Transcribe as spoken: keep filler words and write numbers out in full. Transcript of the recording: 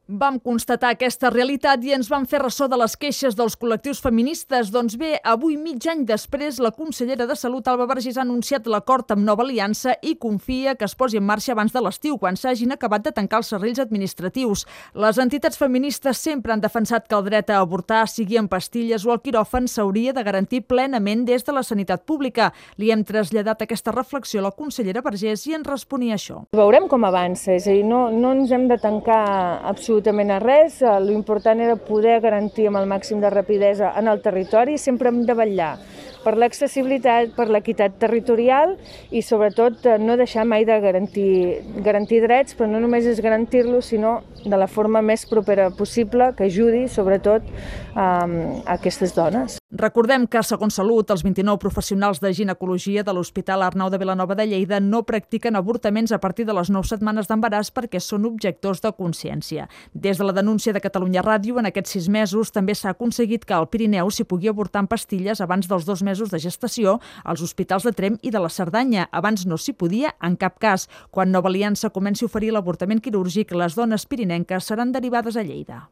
Vam constatar aquesta realitat i ens vam fer ressò de les queixes dels col·lectius feministes. Doncs bé, avui, mig any després, la consellera de Salut, Alba Vergés, ha anunciat l'acord amb Nova Aliança i confia que es posi en marxa abans de l'estiu, quan s'hagin acabat de tancar els serrells administratius. Les entitats feministes sempre han defensat que el dret a avortar, sigui en pastilles o al quiròfan, s'hauria de garantir plenament des de la sanitat pública. Li hem traslladat aquesta reflexió a la consellera Vergés i ens responia això. Veurem com avança, és a dir, no, no ens hem de tancar absolutament absolutament a res, l'important era poder garantir amb el màxim de rapidesa en el territori, sempre hem de vetllar per l'accessibilitat, per l'equitat territorial i sobretot no deixar mai de garantir, garantir drets, però no només és garantir-los, sinó de la forma més propera possible que ajudi sobretot a, a aquestes dones. Recordem que, segons Salut, els vint-i-nou professionals de ginecologia de l'Hospital Arnau de Vilanova de Lleida no practiquen avortaments a partir de les nou setmanes d'embaràs perquè són objectors de consciència. Des de la denúncia de Catalunya Ràdio, en aquests sis mesos també s'ha aconseguit que al Pirineu s'hi pugui avortar en pastilles abans dels dos mesos de gestació als hospitals de Tremp i de la Cerdanya. Abans no s'hi podia en cap cas. Quan Nova Aliança comenci a oferir l'avortament quirúrgic, les dones pirinenques seran derivades a Lleida.